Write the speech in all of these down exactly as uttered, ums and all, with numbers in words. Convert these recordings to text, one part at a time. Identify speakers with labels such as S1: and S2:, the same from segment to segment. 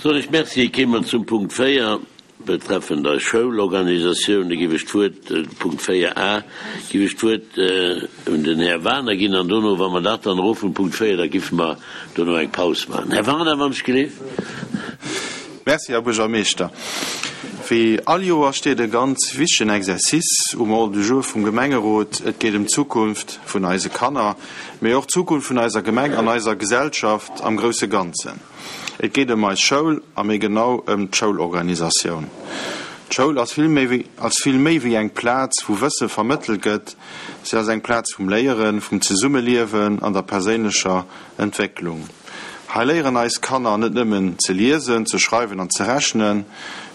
S1: Soen ech Merci. Kéime mer zum Punkt véier betreffend eis Schoulorganisatioun. Da géif ech d'Wuert, Punkt véier a, géif ech d'Wuert un den Här Wagener ginn an dono, wa mer dat dann erof hunn, Punkt véier, da géife mer dono eng Paus maachen. Här Wagener, wann ech geleeft.
S2: Merci, Här Buergermeeschter. Wéi all Joer steet e ganz wichtegen Exercice um Ordre du jour vum Gemengerot. Et geet ëm d'Zukunft vun eise Kanner, mee och d'Zukunft vun eiser Gemeng an eiser Gesellschaft am grousse Ganzen. Et geet ëm eis Schoul a méi genau ëm d'Schoulorganisatioun. D'Schoul ass vill méi wéi ass vill méi wéi eng Plaz, wou Wësse vermëttelt gëtt. Si ass eng Plaz vum Léieren, vum Zesummeliewen an der perséinlecher Entwécklung. Hei léieren eis Kanner net nëmmen ze liesen, ze schreiwen an ze rechnen,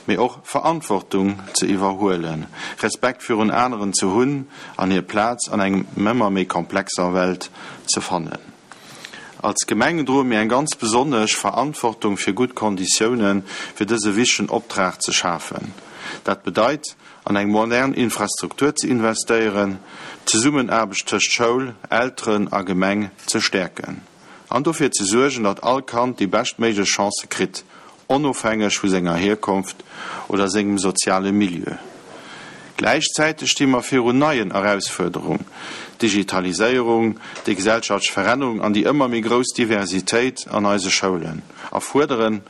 S2: mee och Verantwortung ze iwwerhuelen, Respekt virun aneren ze hunn an hir Plaz an engem ëmmer méi komplexer Welt ze fannen. Als Gemeng droe mir eng ganz besonnesch Verantwortung fir gutt Konditioune fir dëse wichtegen Optrag ze schafen. Dat bedeit, an eng modern Infrastruktur ze investéieren, d'Zesummenaarbecht tëscht Schoul, Elteren a Gemeng ze stäerken an dofir ze suergen, datt all Kand déi beschtméiglech Chancë kritt, onofhängeg vu senger Hierkonft oder sengem soziale Milieu. Gläichzäiteg sti mer virun neien Erausfuerderungen, D'Digitaliséierung, déi gesellschaftlech Verännerung an déi ëmmer méi grouss Diversitéit an eise Schoulen erfuerderen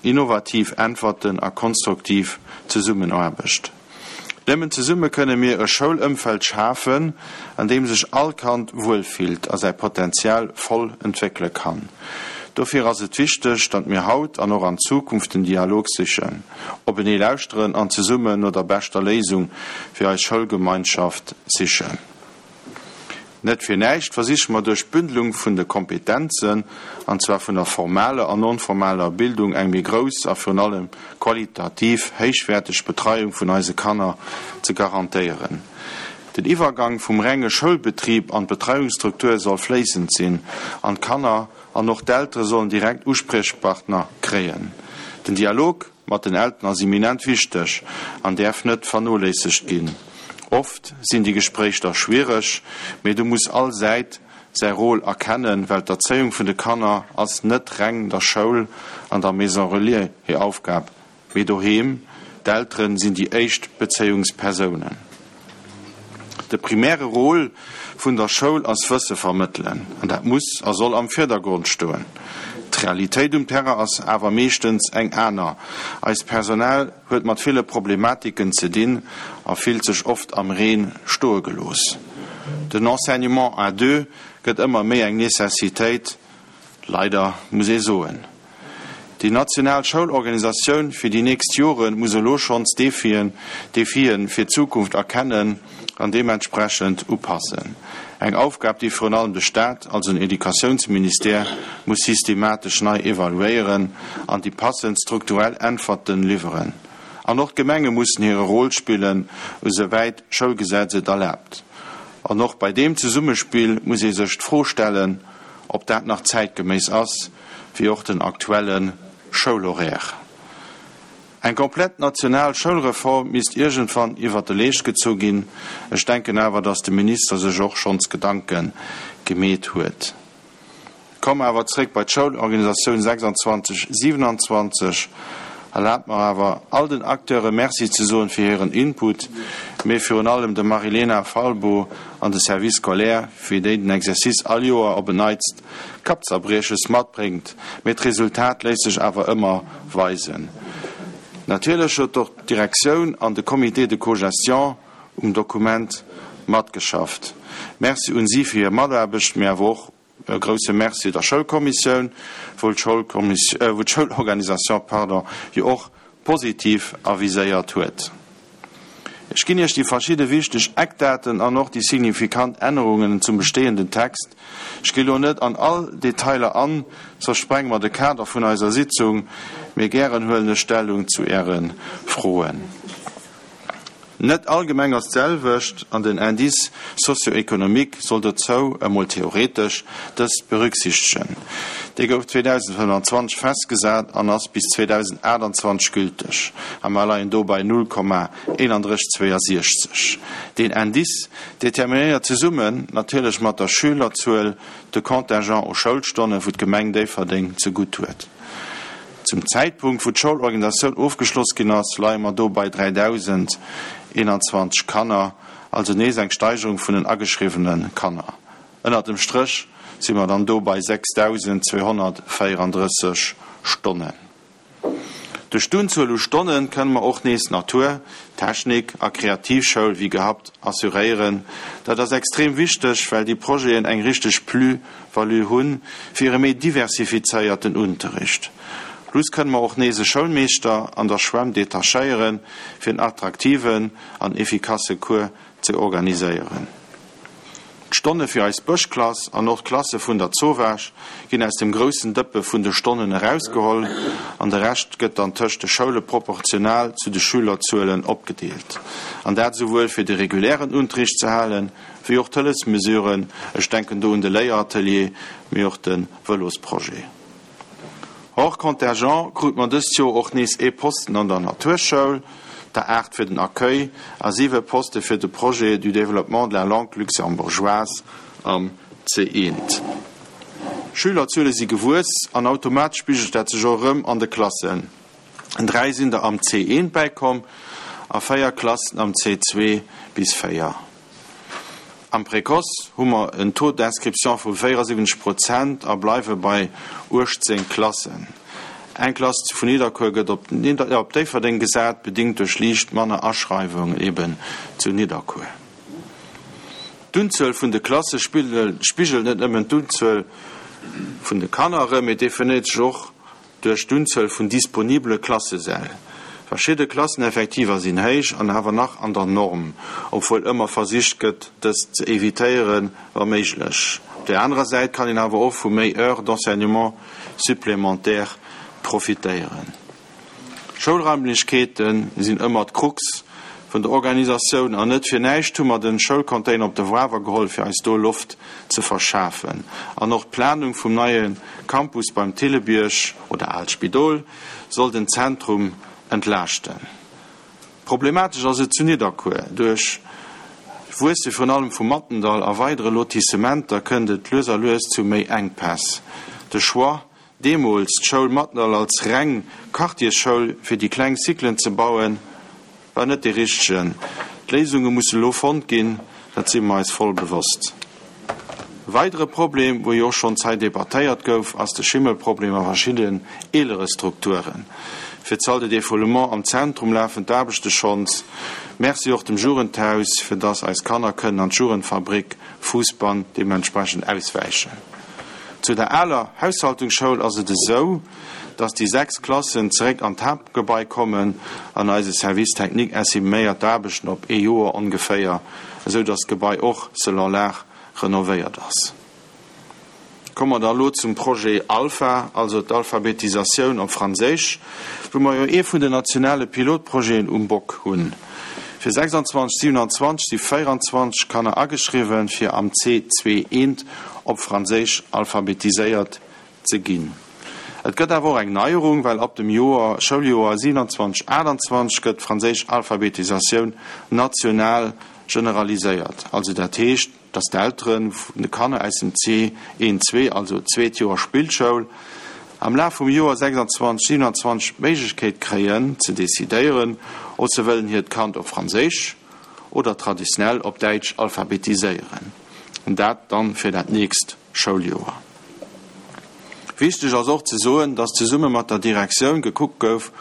S2: innovativ Äntwerten a konstruktiv Zesummenaarbecht. Nëmmen zesumme kënne mir e Schoulëmfeld schafen, an deem sech all Kand wuelfillt a säi Potenzial voll entwéckele kann. Dofir ass et wichteg, datt mir haut an och an Zukunft den Dialog sichen, openee lauschteren an zesummen no der beschter Léisung fir eis Schoulgemeinschaft sichen. Net fir näischt versiche mer duerch d'Bündelung vun de Kompetenzen, an zwar vun der formaler an non-formaler Bildung, eng méi grouss a virun allem qualitativ héichwäerteg Betreiung vun eise Kanner ze garantéieren. Den Iwwergang vum renge Schoulbetrib an d'Betreiungsstruktur soll fléissend sinn an d'Kanner an och d'Eltere sollen direkt Uspriechpartner kréien. Den Dialog mat den Elteren ass eminent wichteg an däerf net vernoléissegt ginn. Oft sinn déi Gespréich da schwiereg, mee do muss all Säit säi Rôle erkennen, well d'Erzéiung vun de Kanner ass net reng der Schoul an der Maison Relais hir Aufgab, mee doheem, d'Elteren sinn déi éischt Bezéiungspersounen. De primäre Rôle vun der Schoul ass Wësse vermëttelen, an dat muss a soll am Virdergrond stoen. D'Realitéit um Terrain ass awer meeschtens eng aner. Eist Personal huet mat ville Problematiken ze dinn a fillt sech oft am Reen stoe gelooss. Den Enseignement à deux gëtt ëmmer méi eng Necessitéit, leider, muss ee soen. Déi national Schoulorganisatioun fir déi nächst Jore muss elo schonns d'Defien, Defien fir d'Zukunft erkennen an deementsprechend upassen. Eng Aufgab, déi virun allem de Staat, also den Educatiounsministère, muss systematesch nei evaluéieren an déi passend strukturell Äntwerten liwweren. An och d'Gemenge mussen hire Rôle spillen, esouwäit d'Schoulgesetz et erlaabt. An och bei deem Zesummespill muss ee sech d'Fro stellen, ob dat nach zäitgeméiss ass, wéi och den aktuelle Schoulhoraire. Eng komplett national Schoulreform misst iergendwann iwwert de Leescht gezu ginn. Ech denken awer, datt de Minister sech och schonns Gedanke gemeet huet. Komme awer zréck bei d'Schoulorganisatioun sechsundzwanzeg, siewenundzwanzeg. Erlaabt mer awer, all den Acteure Merci ze soen fir hiren Input, mee virun allem dem Marilena Falbo an de Service scolaire, fir déi den Exercice all Joer op en Neits Kappzerbrieches matbréngt, mee d'Resultat léisst sech awer ëmmer weisen. Natierlech huet och d'Direktioun an de Comité de cogestion um Dokument matgeschafft. Merci un si fir hir Mataarbecht, mee awer och e grousse Merci der Schoulkommissioun, wou d'Schoulorganisation, pardon, jo och positiv aviséiert huet. Ech ginn Iech déi verschidde wichteg Eckdaten an och déi signifikant Ännerungen zum bestehenden Text. Ech gi lo net an all Detailer an, soss sprenge mer de Kader vun eiser Sitzung, mee gären huelen ech Stellung zu Äre Froen. Net all Gemeng ass d'selwecht an den Indice socio-économique soll dozou, emol theoretesch, dëst berücksichtegen. Dee gouf zweedausendfënnwanzwanzeg festgesat an ass bis zweedausendachtundzwanzeg gülteg, a mer leien do bei null Komma eenandrësseg zweeasiechzeg. Deen Indice determinéiert zesummen natierlech mat der Schülerzuel de Contingent u Schoulstonnen, wou d'Gemeng Déifferdeng zegutt huet. Zum Zäitpunkt, wou d'Schoulorganisatioun ofgeschloss ginn ass, leie mer do bei dräidausendeenanzwanzeg Kanner, also nees eng Steigerung vun den ageschriwwene Kanner. Ënnert dem Stréch si mer dann do bei sechsdausendzweehonnertvéierandrësseg Stonnen. Duerch d'Unzuel u Stonne kënne mer och nees Natur-, Technik a Kreativschoul wéi gehabt assuréieren. Dat ass extrem wichteg, well déi Projeten eng richteg Plus-value hunn fir e méi diversifizéierten Unterricht. Plus kënne mer och nees e Schoulmeeschter an der Schwämm detachéieren, fir en attraktiven an effikasse Cours ze organiséieren. D'Stonne fir eis Bëschklass an och d'Klasse vun der Zowaasch ginn aus dem groussen Dëppe vun de Stonnen erausgeholl an de Rescht gëtt dann tëscht de Schoule proportional zu de Schülerzuelen opgedeelt. An dat souwuel fir de regulären Unterricht ze halen, wéi och d'Hëllefsmesuren, ech denken do un de Léieratelier, mee och de Vëlosprojet. Hors contingent krute mer dëst Joer och nees ee Posten an der Naturschoul, der aacht fir den Accueil a siwe Poste fir de Projet du développement de la langue luxembourgeoise am C eent. D'Schülerzuele si gewuess an automatesch spigelt dat sech och erëm an de Klassen. Dräi sinn der am C eent bäikomm a véier Klassen am C zwee bis véier. Am Précoce hu mer en Taux d'inscription vu véierasiwwenzeg Prozent a bleiwe bei uechtzéng Klassen. Eng Klass vun Nidderkuer gëtt op Déifferdeng gesat, bedingt duerch liicht manner Aschreiwungen eben zu Nidderkuer. D'Unzuel vun de Klasse spigelt net nëmmen d'Unzuel vun de Kanner erëm, mee definéiert sech och duerch d'Unzuel vun disponibele Klassesäll. Verschidde Klasseneffektiver sinn héich an awer nach an der Norm, obwuel ëmmer versicht gëtt, dës ze evitéieren, wa méiglech. Op där anerer Säit kann een awer och vu méi Heures d'enseignement supplémentaires profitéieren. Schoulraimlechkeete sinn ëmmer d'Krux vun der Organisatioun an net fir näischt hu mer de Schoulcontainer op de Wawer geholl, fir eis do Loft ze verschafen. An och d'Planung vum neie Campus beim Thillebierg oder Aalt Spidol soll den Zentrum entlaaschten. Problematesch ass et zu Nidderkuer. Duerch d'Wuesse virun allem vum Mattendall a weidere Lotissementer kënnt et lues a lues zu méi Enkpäss. De Choix, deemools d'Schoul Mattendall als reng Quartiersschoul fir déi kleng Cyclen ze bauen, war net dee richtegen. D'Léisunge musse lo fonnt ginn, dat si mer eis voll bewosst. E weidere Problem, wou jo och schonns hei debattéiert gouf, ass de Schimmelproblem a verschiddenen eelere Strukturen. Fir d'Salle de défoulement am Zentrum lafen d'Aarbechte schonns. Merci och dem Jugendhaus, fir dass eis Kanner kënnen an d'Jugendfabrik Fousbann deementsprechend auswäichen. Zu der aler Haushaltungsschoul ass et esou, dass déi sechs Klassen zeréck an d'Haaptgebai kommen an eise Service technique estiméiert d'Aarbechten op ee Joer ongeféier, esou dass d'Gebai och selon l'art renovéiert ass. Komme mer da elo zum Projet Alpha, also d'Alphabetisatioun op Franséisch, wou mer jo ee vun den nationale Pilotprojeten um Bock hunn. Fir sechsanzwanzeg, siewenanzwanzeg si véieranzwanzeg Kanner ageschriwwen, fir am C zwee eent op Franséisch alphabetiséiert ze ginn. Et gëtt awer och eng Neierung, well ab dem Joer, Schouljoer siewenanzwanzeg, aachtanzwanzeg gëtt d'franséisch Alphabetisatioun national generaliséiert. Also dat heescht, dass d'Eltere vun de Kanner aus dem C eent zwee, also zweet Joer Spillschoul, am Laf vum Joer sechsanzwanzeg, siewenanzwanzeg d'Méiglechkeet kréien ze decidéieren, ob se wëllen hiert Kand op Franséisch oder traditionell op Däitsch alphabetiséieren. An dat dann fir dat nächst Schouljoer. Wichteg ass och ze soen, dass zesumme mat der Direktioun gekuckt gouf,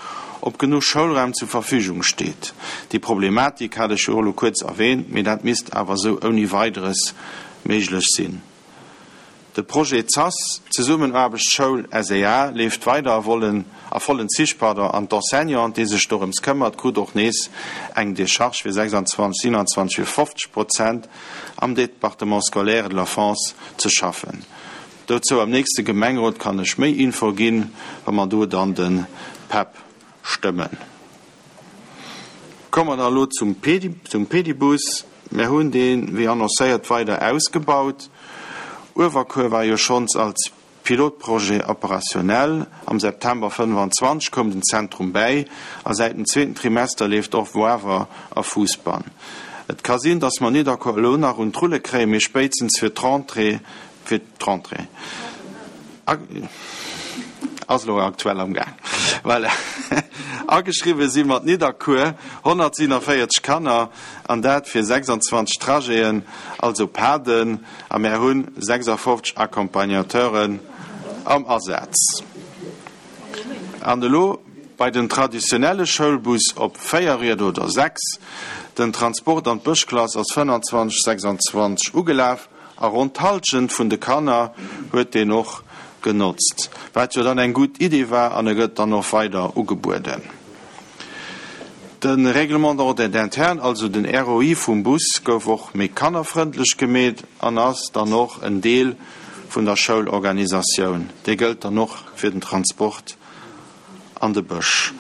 S2: ob genuch Schoulraum zur Verfügung steet. Déi Problematik hat ech jo elo kuerz erwähnt, mee dat misst awer esou ouni Weideres méiglech sinn. De Projet ZAS, Zesummenaarbecht Schoul S E A, leeft weider a vollen a vollen Zich, pardon, an d'Enseignante, déi sech dorëms këmmert, krut och nees eng Decharge fir sechsanzwanzeg, siewenanzwanzeg fir fofzeg Prozent am Département scolaire de l'enfance ze schaffen. Dozou am nächste Gemengerot kann ech méi Info ginn, wa mer do dann de P E P stëmmen. Komme mer da elo zum Pedi, zum Pedibus. Mir hunn deen, wéi annoncéiert, weider ausgebaut. Uewerkuer war jo schonns als Pilotprojet operationell. Am September fënnefanzwanzeg koum den Zentrum bäi a säit dem zweeten Trimester leeft och Woawer a Fousbann. Et ka sinn, dass mer Nidderkuer elo nach un d'Rulle kréien, mee spéitstens fir d'Rentrée, fir d'Rentrée ass elo aktuell am Gaang. Voilà. Ageschriwwe si mat Nidderkuer honnertsiewenvéierzeg Kanner, an dat fir sechsandzwanzeg Trajeten, also Paden, a mär hunn sechsafofzeg Accompagnateuren am Asaz. An elo bei den traditionelle Schoulbus op véier Rieder oder sechs. Den Transport an d'Bëschklass ass fënnanzwanzeg, sechsandzwanzeg ugelaf a ronn d'Hallschent vun de Kanner huet deen och genotzt, wat jo dann eng gutt Idee war an e gëtt dann och weider ugebueden. De Règlement d'ordre interne, also den R O I vum Bus, gouf och méi kannerfrëndlech gemeet an ass dann och en Deel vun der Schoulorganisatioun. Dee gëllt dann och fir den Transport an de Bësch.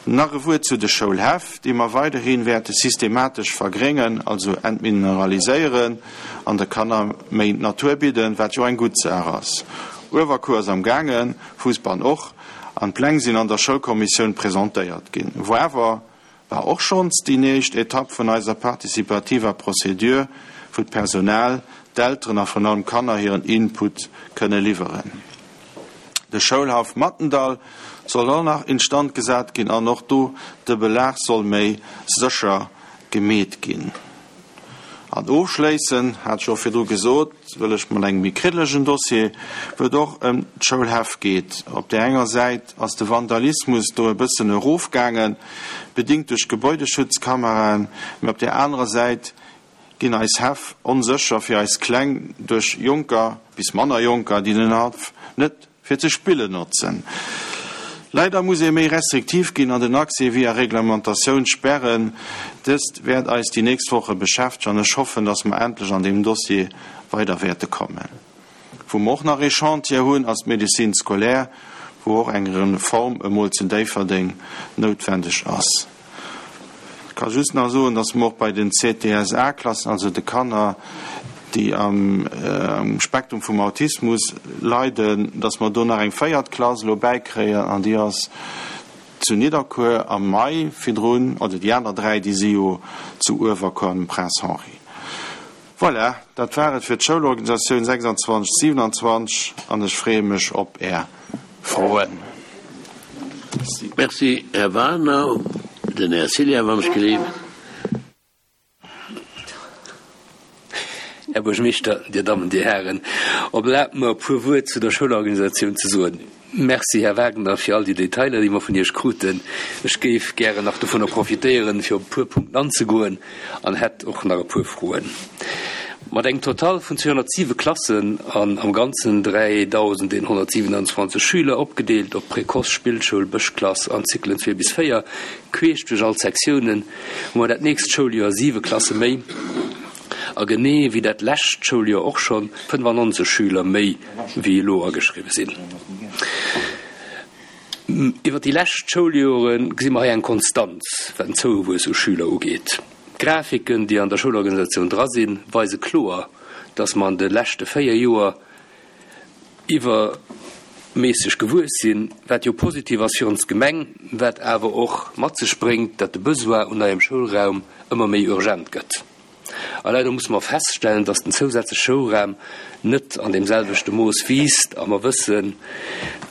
S2: Nach e Wuert zu de Schoulhäff, déi mer weiderhi wäerte systematesch vergréngen, also entmineraliséieren an de Kanner méi Natur bidden, wat jo eng gutt Saach ass. Uewerkuer ass am gaangen, Fousbann och, an d'Pläng sinn an der Schoulkommissioun presentéiert ginn. Woawer war och schonns déi nächst Etapp vun eiser participativer Procédure, wou d'Personal, d'Elteren a virun allem d'Kanner hiren Input kënne liwweren. De Schoulhaff Mattendall soll och nach instand gesat ginn an och do de Belag soll méi sécher gemeet ginn. An ofschléissen, hat ech och virdru gesot, wëll ech mat engem méi kriddelegen Dossier, wou et och ëm d'Schoulhäff geet. Op där enger Säit ass de Vandalismus do e bëssen erofgaangen, bedingt duerch Gebäudeschutzkameraen, mä op där anerer Säit ginn eis Häff onsécher fir eis Kleng duerch Jonker bis manner Jonker, déi den Haff net fir ze spillen notzen. Leider muss ee méi restriktiv ginn an den Accès via Reglementatioun sperren. Dëst wäert eis déi nächst Woche beschäftegen an ech hoffen, dass mer endlech an deem Dossier weider wäerte kommen. Wou mer och nach ee Chantier hunn, ass d'Médecine scolaire, wou och eng Reform emol zu Déifferdeng noutwendeg ass. Ech ka just nach soen, dass mer och bei den C T S A-Klassen, also de Kanner, déi am Spektrum vum Autismus leiden, dass mer do nach eng véiert Klass elo bäikréien an déi ass zu Nidderkuer am Mai virdrun, oder déi aner dräi, déi si jo zu Uewerkuer am Prince Henri. Voilà, dat war et fir d'Schoulorganisatioun sechsandzwanzeg siewenundzwanzeg an ech freeë mech op Är Froen.
S1: Merci, Här Wagner. Den Här Cilla, wann ech gelift.
S3: Här Buergermeeschter, Dir Dammen, Dir Hären, erlaabt mer e puer Wuert zu der Schoulorganisatioun ze soen. Merci, Här Wagner, fir all déi Detailer, déi mer vun Iech kruten. Ech géif gären nach dovunner profitéieren, fir op e puer Punkten anzegoen an hätt och nach e puer Froen. Mat engem Total vun zweehonnertsiwe Klassen an am Ganzen dräidausendeenhonnertsiwenanzwanzeg Schüler, opgedeelt op Précoce, Spillschoul, Bëschklass an Zyklen zwee bis véier, queesch duerch all d'Sektiounen, hu mer dat nächst Schouljoer siwe Klasse méi a genee wéi dat lescht Schouljoer och schonn fënnefannonzeg Schüler méi wéi elo ageschriwwe sinn. Iwwer déi lescht Schouljoere gesi mer hei eng Konstanz, wat den Zouwuess u Schüler ugeet. D'Grafiken, déi an der Schoulorganisatioun dra sinn, weise kloer, dass mer an de leschte véier Joer iwwerméisseg gewuess sinn, wat jo positiv ass fir ons Gemeng, wat awer och mat sech bréngt, datt de Besoin un neiem Schoulraum ëmmer méi urgent gëtt. A leider musse mer feststellen, dass den zousätzleche Schoulraum net an deem selwechte Mooss wiisst a mer wëssen,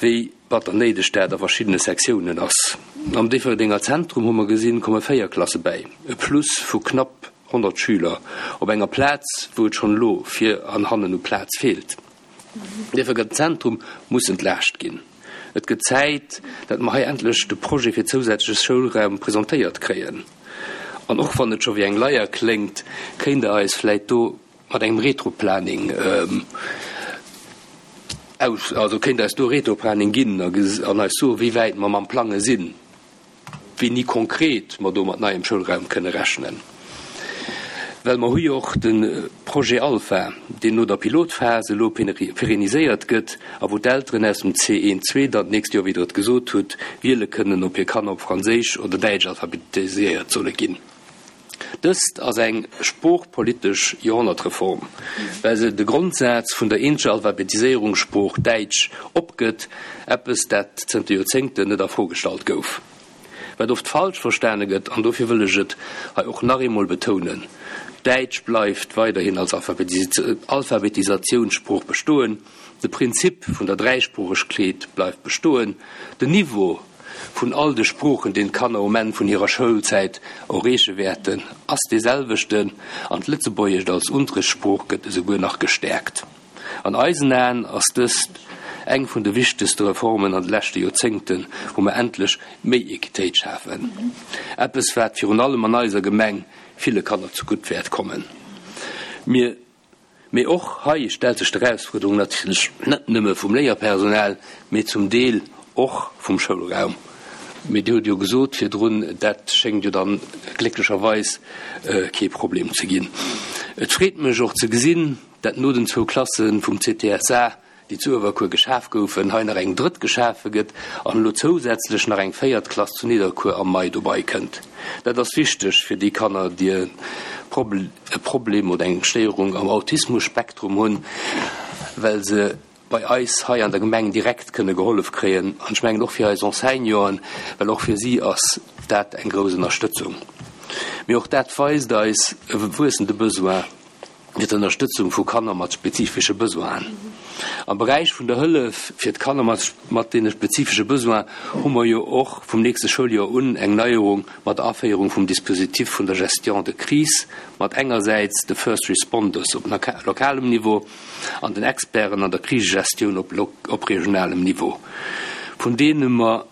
S3: wéi batter néideg dat a verschiddene Sektiounen ass. Am Déifferdenger Zentrum hu mer gesinn, komme véier Klasse bäi, e Plus vu knapp honnert Schüler op enger Plaz, wou et schonn elo vir an hannen u Plaz feelt. Déifferdenger Zentrum muss entlaascht ginn. Et gëtt Zäit, datt mer hei endlech de Projet fir zousätzleche Schoulraum presentéiert kréien. An och wann et scho wéi eng Leier kléngt, kéint Der eis vläit do mat engem Retroplaning aus, also kéint Der eis do Retroplaning ginn an eis soen, wéi wäit mer mam Plange sinn, wéini konkret mer do mat neiem Schoulraum kënne rechnen. Well mer hu jo och de Projet Alpha, deen no der Pilotphas elo pérenniséiert gëtt a wou d'Elteren aus dem C een zwee dann d'nächst Joer, wéi Der et gesot hutt, wiele kënnen, ob hir Kanner op Franséisch oder Däitsch alphabetiséiert solle ginn. Dëst ass eng sproochpolitesch Joerhonnertreform, well se de Grondsaz vun der eenzeger Alphabetiséierungssprooch Däitsch opgëtt, eppes, dat zënter Joerzéngten net a Fro gestallt gouf. Wat oft falsch verstane gëtt, an dofir wëll ech et hei och nach eemol betounen, Däitsch bleift weiderhin als Alphabetisationssprooch bestoen, de Prinzip vun der Dräisproochegkeet bleift bestoen, den Niveau vun all de Sproochen, deen d'Kanner um Enn vun hirer Schoulzäit erreeche wäerten, ass dee selwechten an d'Lëtzebuergescht als Unterrichtssprooch gëtt esouguer nach gestäerkt. An eisen Aen ass dëst eng vun de wichtegste Reformen an de leschte Joerzéngten, wou mer endlech méi Equitéit schafen. Eppes, wat virun allem an eiser Gemeng ville Kanner zegutt wäert kommen. Mir Mee och hei stellt sech d'Erausfuerderung natierlech net nëmme vum Léierpersonal, mee zum Deel och vum Schoulraum. Mee Dir hutt jo gesot virdrun, dat schéngt jo dann glécklecherweis kee Problem ze ginn. Et freet mech och ze gesinn, dat no den zwou Klasse vum CTSA, déi zu Uewerkuer geschaf goufen, hei nach eng drëtt geschafe gëtt an elo zousätzlech nach eng véiert Klass zu Nidderkuer am Mai dobei kënnt. Dat ass wichteg fir déi Kanner, déi e Problem oder eng Stéierung am Autismus-Spektrum hunn, well se bei eis hei an der Gemeng direkt kënne gehollef kréien. An ech mengen och fir eis Enseignanten, well och fir si ass dat eng grouss Ënnerstëtzung. Mee och dat weist eis e wuessende Besoin fir d'Ënnerstëtzung vu Kanner mat spezifesche Besoinen. Am Beräich vun der Hëllef fir d'Kanner mat deene spezifesche Besoinen hu mer jo och vum nächste Schouljoer un eng Neierung mat der Aféierung vum Dispositif vun der Gestion de crise, mat engersäits de First Responders op lokalem Niveau an den Experten an der Krisegestioun op regionalem Niveau, vun deene mer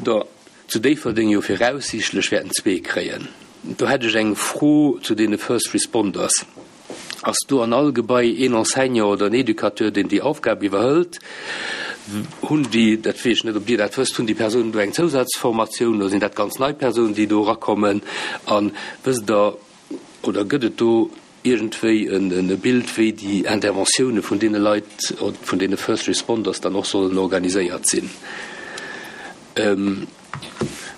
S3: der zu Déifferdeng jo viraussiichtlech wäerten zwee kréien. Do hätt ech eng Fro zu deene First Responders. Ass do an all Gebai een Enseignant oder en Educateur, deen déi Aufgab iwwerhëlt? Hunn déi, dat weess ech net, ob Dir dat wësst, hunn déi Persounen do eng Zousazformatioun oder sinn dat ganz nei Persounen, déi do erakommen? A wësst Der oder gëtt et do iergendwéi e Bild, wéi déi Interventioune vun deene Leit, vun deene First Responders dann och sollen organiséiert sinn?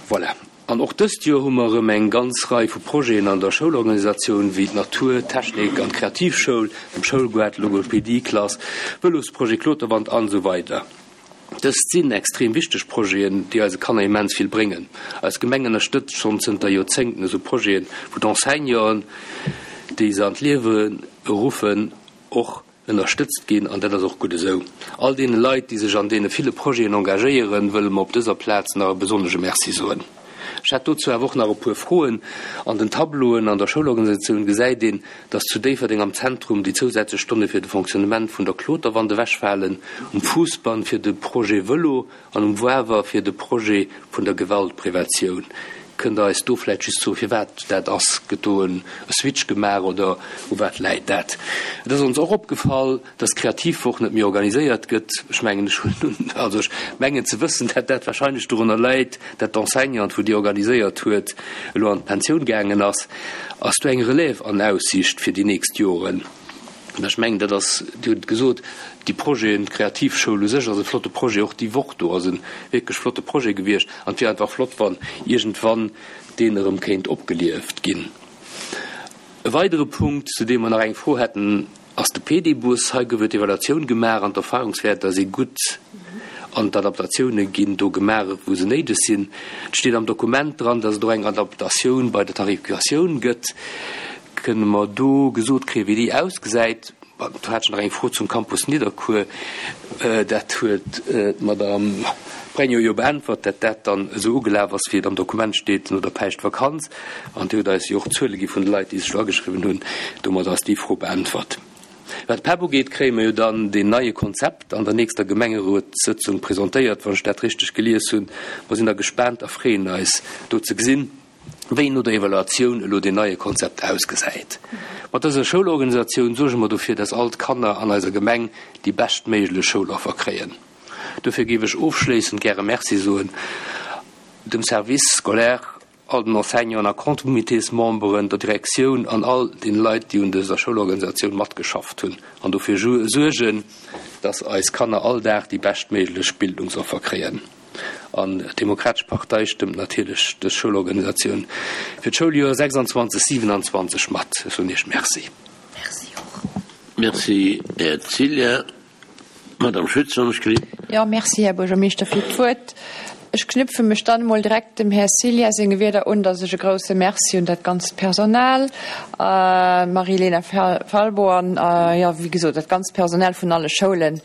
S3: Voilà. An och dëst Joer hu mer erëm eng ganz Rei vu Projeten an der Schoulorganisatioun, wéi d'Natur-, Technik an Kreativschoul, dem Schoulgoart, Logopedie-Klass, Vëlosprojet Kloterwand an esou weider. Dëst sinn extrem wichteg Projeten, déi eise Kanner immens vill bréngen. Eis Gemeng ënnerstëtzt schonn zënter Joerzéngten esou Projeten, wou d'Enseignanten, déi se an d'Liewe ruffen, och ënnerstëtzt ginn, an dat ass och gutt esou. All deene Leit, déi sech an deene ville Projeten engagéieren, wëlle mer op dëser Plaz nach e besonnesche Merci soen. Ech hätt dozou awer och nach e puer Froen. An den Tableauen an der Schoulorganisatioun gesäit een, dass zu Déifferdeng am Zentrum déi zousätzlech Stonne fir de Fonctionnement vun der Kloterwand ewechfalen, um Fousbann fir de Projet Vëlo an um Wawer fir de Projet vun der Gewaltpreventioun. Kënnt Der eis do vläicht just soen, firwat dat ass? Gëtt do e Switch gemaach oder u wat läit dat? Et ass ons och opgefall, dass d'Kreativwoch net méi organiséiert gëtt. Ech mengen, ech hunn, also ech mengen ze wëssen, dat dat wahrscheinlech dorunner läit, dat d'Enseignante, wou déi organiséiert huet, elo an d'Pensioun gaangen ass. Ass do eng Relève an Aussicht fir déi nächst Joren? Mä ech mengen, dat ass, Dir hutt et gesot, déi Projeten, d'Kreativschoul u sech ass e flotte Projet, och déi Woch do ass e wierklech flotte Projet gewiescht an et wier einfach flott, wann iergendwann deen erëm kéint opgelieft ginn. E weidere Punkt, zu deem mer nach eng Fro hätten, ass de Pedibus. Hei gouf et Evaluatioun gemaach an d'Erfahrungswäerter si gutt an d'Adaptatioune ginn do gemaach, wou se néideg sinn. Et steet am Dokument dran, dass et och eng Adaptatioun bei der Tarifikatioun gëtt. Kënne mer do gesot kréien, wéi déi ausgesäit? Do hat ech nach eng Fro zum Campus Nidderkuer. Dat huet d'Madame Pregno jo beäntwert, dat dat dann esou ugelaf ass, wéi et am Dokument steet, no der Päischtvakanz. An Dir hutt eis jo och d'Zuele gi vun de Leit, déi sech do ageschriwwen hunn. Domat ass déi Fro beäntwert. Wat d'PEP ugeet, kréie mer jo dann deen neie Konzept an der nächster Gemengerotssëtzung presentéiert, wann ech dat richteg gelies hunn. Mer sinn da gespaant a freeën eis, do ze gesinn, wéi no der Evaluatioun elo deen neie Konzept ausgesäit. Mat dëser Schoulorganisatioun suerge mer dofir, dass all d'Kanner an eiser Gemeng déi beschtméiglech Schouloffer kréien. Dofir géif ech ofschléissend gäre Merci soen dem Service scolaire, all den Enseignanten a Comitésmemberen, der Direktioun an all den Leit, déi un dëser Schoulorganisatioun matgeschafft hunn an dofir suergen, dass eis Kanner all Dag déi beschtméiglech Bildungsoffer kréien. An d'Demokratesch Partei stëmmt natierlech dës Schoulorganisatioun fir d'Schouljoer sechsanzwanzeg siewenanzwanzeg mat. Ech soen Iech Merci.
S1: Merci och. Merci, Här Cillien. Madame Schütz, wann ech gelift.
S4: Jo, merci, Här Buergermeeschter, fir d'Wuert. Ech knüpfe mech dann emol direkt dem Här Cillien senge Wierder un, dass ech e grouse Merci un dat ganzt Personal, d'Marie-Elena Falbo an, jo, wéi gesot, dat ganzt Personal vun alle Schoulen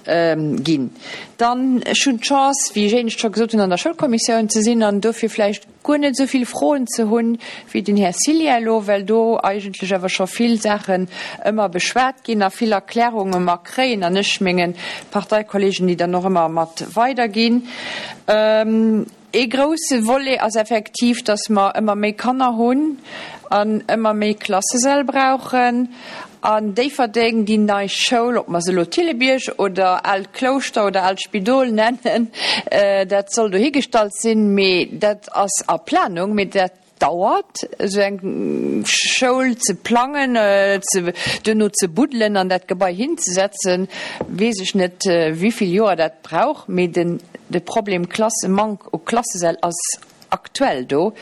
S4: ginn. Dann, ech hunn d'Chance, wéi ech éinescht scho gesot hunn, an der Schoulkommissioun ze sinn an dofir vläicht guer net esou vill Froen ze hunn wéi den Här Cillien elo, well do eigentlech awer scho vill Saachen ëmmer beschwat ginn a vill Erklärunge mer kréien an ech menge Parteikollegen déi dann och ëmmer mat weiderginn. Ee grouse Volet ass effektiv, dass mer ëmmer méi Kanner hunn an ëmmer méi Klassesäll brauchen. An Déifferdeng, déi nei Schoul, ob mer se elo Thillebierg oder Aalt Klouschter oder Aalt Spidol nennen, dat soll dohigestallt sinn, mee dat ass a Planung, mee dat dauert, esou eng Schoul ze plangen, duerno ze buddelen an dat Gebai hinzesetzen, weess ech net, wéi vill Joer dat brauch, mee de Problem Klassemank u Klassesäll ass aktuell do.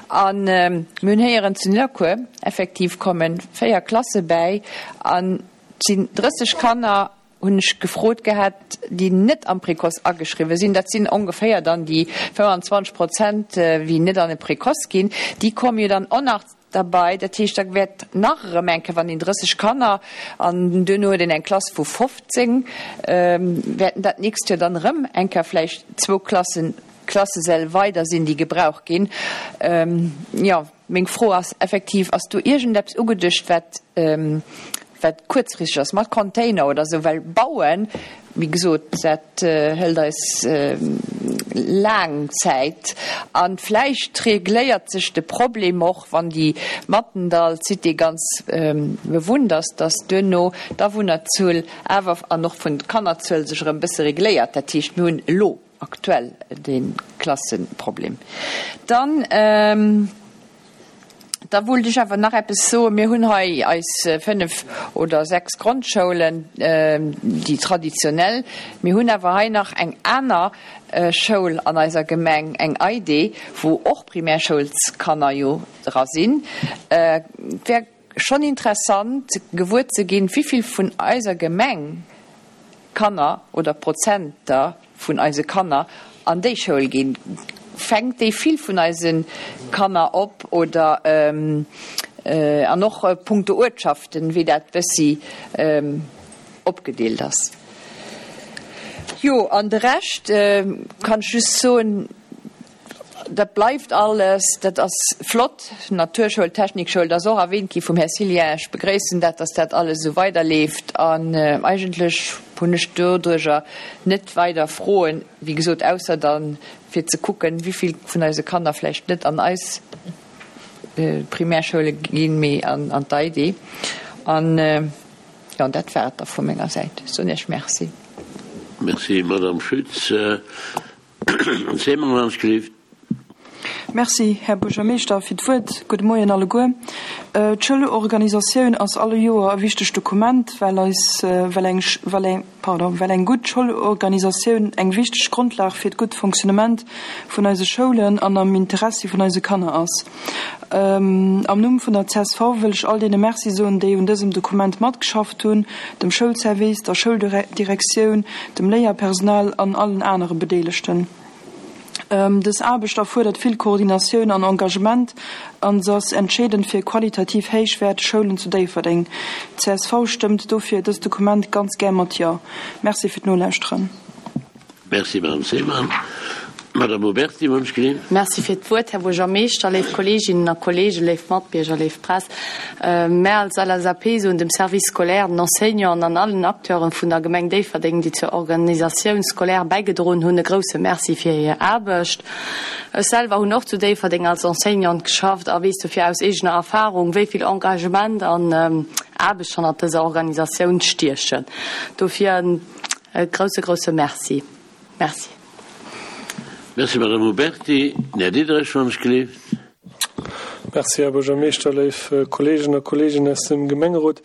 S4: A mir hunn héieren, zu Nidderkuer effektiv komme véier Klasse bäi an et sinn drësseg Kanner, hunn ech gefrot gehat, déi net am Précoce ageschriwwen sinn. Dat sinn ongeféier dann déi fënnwanzwanzeg Prozent, wéi net an de Précoce ginn. Déi komme jo dann och nach derbei. Dat heescht, da wäert nach erëm eng Kéier, wann een drësseg Kanner an duerno huet een eng Klass vu fofzéng, wäerten dat d'nächst Joer dann erëm eng Kéier vläicht zwou Klassen, Klassesäll weider sinn, déi gebraucht ginn. Jo, meng Fro ass effektiv, Ass do iergendeppes ugeduecht, wat, wat kuerzfristeg ass, mat Container oder esou? Well bauen, wéi gesot, dat hëlt eis laang Zäit. A vläicht regléiert sech de Problem och, wann déi Mathendahl Cité ganz bewunnt ass, dass duerno d'Awunnerzuel awer an och vun d'Kannerzuel sech erëm e bësse regléiert. Dat heescht, mir hunn elo aktuell de Klasseproblem. Dann, da wollt ech awer nach eppes soen. Mir hunn hei eis fënnef oder sechs Grondschoulen, déi traditionell. Mir hunn awer hei nach eng aner Schoul an eiser Gemeng, eng EIDE, wou och Primärschoulskanner jo dra sinn. Et wär schonn interessant gewuer ze ginn, wéi vill vun eiser Gemeng Kanner oder Prozenter vun eise Kanner an déi Schoul ginn. Fänkt déi vill vun eise Kanner op oder an och punkto Uertschaften, wéi dat bëssi opgedeelt ass. Jo, an de Rescht kann ech just soen, dat bleift alles, dat ass flott, Naturschoul, Technikschoul, dat ass och erwähnt gi vum Här Cillien. Ech begréissen dat, dass dat alles esou weiderleeft an eigentlech hunn ech doduerjer net weider Froen, wéi gesot, ausser dann fir ze kucken, wéi vill vun eise Kanner vläicht net an eis Primärschoule ginn, mee an d'EIDE. An jo, dat war et da vu menger Säit. Ech soen Iech Merci.
S1: Merci, Madame Schütz. Här Seemann, wann ech gelift.
S5: Merci, Här Buergermeeschter, fir d'Wuert. Gudde Moien alleguer. D'Schoulorganisatioun ass alle Joer e wichtegt Dokument, well eis, well eng, well eng, pardon, well eng gutt Schoulorganisatioun eng wichteg Grondlag fir d'gutt Fonctionnement vun eise Schoulen an am Interessi vun eise Kanner ass. Am Numm vun der C S V wëll ech all deene Merci soen, déi un dësem Dokument matgeschafft hunn, dem Schoulservice, der Schouldirektioun, dem Léierpersonal an allen anere Bedeelegten. Dës Aarbecht erfuerdert vill Koordinatioun an Engagement an se ass entscheedend fir qualitativ héichwäerteg Schoulen zu Déifferdeng. C S V stëmmt dofir dëst Dokument ganz gär mat Jo. Merci fir d'Nolauschteren.
S1: Merci, Madame Seemann. Madame Huberty, wann ech gelift.
S6: Merci fir d'Wuert, Här Buergermeeschter, léif Kolleeginnen a Kolleegen, léif Matbierger, léif Press. Mär als L S A P soen dem Service scolaire, den Enseignanten an allen Acteuren vun der Gemeng Déifferdeng, déi zur Organisatioun scolaire bäigedroen hunn, e grouse Merci fir hir Aarbecht. Ech selwer hunn och zu Déifferdeng als Enseignante geschafft a weess dofir aus eegener Erfarung, wéi vill Engagement an Aarbecht hannert dëser Organisatioun stiechen. Dofir e grouse, grouse Merci. Merci.
S1: Merci, Madame Huberty. Här Diderich, wann ech gelift.
S7: Merci, Här Buergermeeschter, léif Kolleegen a Kolleeginnen aus dem Gemengerot.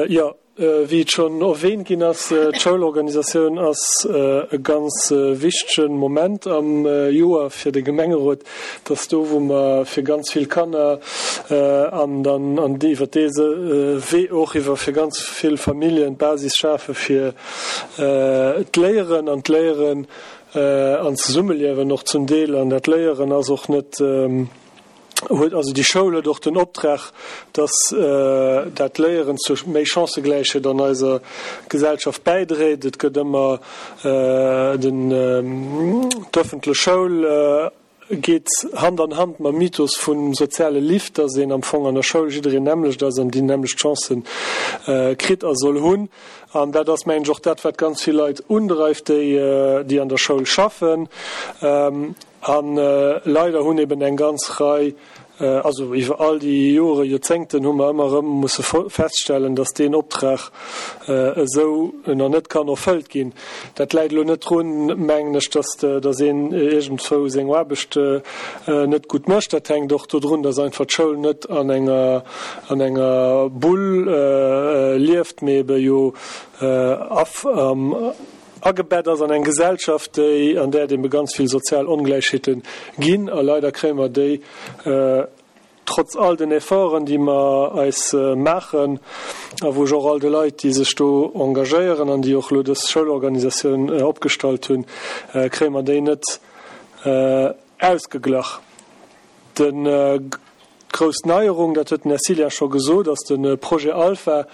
S7: Jo, wéi et schonn erwähnt ginn ass, d'Schoulorganisatioun ass e ganz wichtege Moment am Joer fir de Gemengerot. Dat ass do, wou mer fir ganz vill Kanner an dann an iwwer dese Wee och iwwer fir ganz vill Familljen d'Basis schafe fir d'Léieren an d'Léieren an d'Zesummeliewen och zum Deel an dat Léieren ass och net, huet also déi Schoul huet och den Optrag, dass dat Léieren zu méi Chancëgläichheet an eiser Gesellschaft bäidréit. Et gëtt ëmmer den, d'öffentlech Schoul geet Hand an Hand mam Mythos vum soziale Lift, dass een am Fong an der Schoul jiddereen nämmlecht ass an déi nämmlecht Chancë kritt a soll hunn. An dat ass, mengen ech, och dat, wat ganz vill Leit undreift, déi, déi an der Schoul schaffen. A leider hunn eben eng ganz Rei, also iwwer all déi Jore, Joerzéngten hu mer ëmmer erëm musse feststellen, datt deen Optrag esou nach net kann erfëllt ginn. Dat läit elo net drun, mengen ech, datt datt een iergendwou seng Aarbecht net gutt mécht. Dat hänkt och dodrun, datt einfach d'Schoul net an enger an enger Bull lieft, mee ebe jo agebett ass an eng Gesellschaft, déi, an där et ebe ganz vill sozial Ongläichheete ginn. A leider kréie mer déi, trotz all den Efforten, déi mer eis maachen, a wou ech och all de Leit, déi sech do engagéieren an déi och elo dës Schoulorganisatioun opgestallt hunn, kréie mer déi net ausgeglach. D'grouss Neierung, dat huet den Här Cillien scho gesot, ass de Projet Alpha,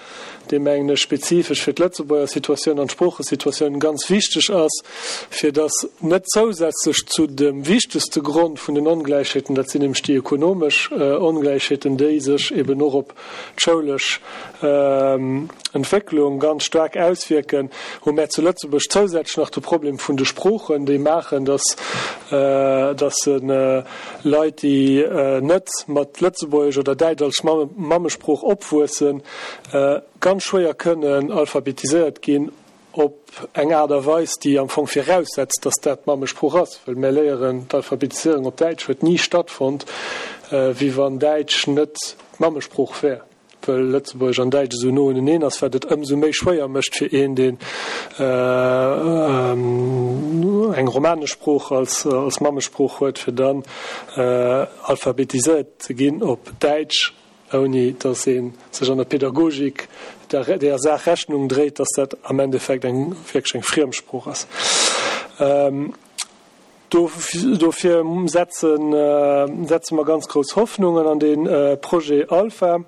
S7: dee mengen ech spezifesch fir d'Lëtzebuerger Situatioun an d'Sproochesituatioun ganz wichteg ass, fir dass net zousätzlech zu dem wichtegste Grond vun den Ongläichheeten, dat sinn nämlech déi ekonomesch Ongläichheeten, déi sech eben och op d'schoulesch Entwécklung ganz staark auswierken, hu mär zu Lëtzebuerg zousätzlech nach de Problem vun de Sproochen, déi maachen, dass dass Leit, déi net mat Lëtzebuergesch oder Däitsch als Mammesprooch opwuessen, ganz schwéier kënnen alphabetiséiert ginn op eng Aart a Weis, déi am Fong viraussetzt, dass dat d'Mammesprooch ass, well mär léieren, d'Alphabetiséierung op Däitsch huet ni stattfonnt, wéi wann Däitsch net d'Mammesprooch wär. Well Lëtzebuergesch an Däitsch esou no uneneen ass, wat et ëmsou méi schwéier mécht fir een, deen eng romanesch Sprooch als Mammesprooch huet, fir dann alphabetiséiert ze ginn op Däitsch, ouni datt ee sech an der Pädagogik där Saach Rechnung dréit, datt dat am Endeffekt eng wierklech eng Friemsprooch ass. Dofir setze mer ganz grouss Hoffnungen an dee Projet Alpha.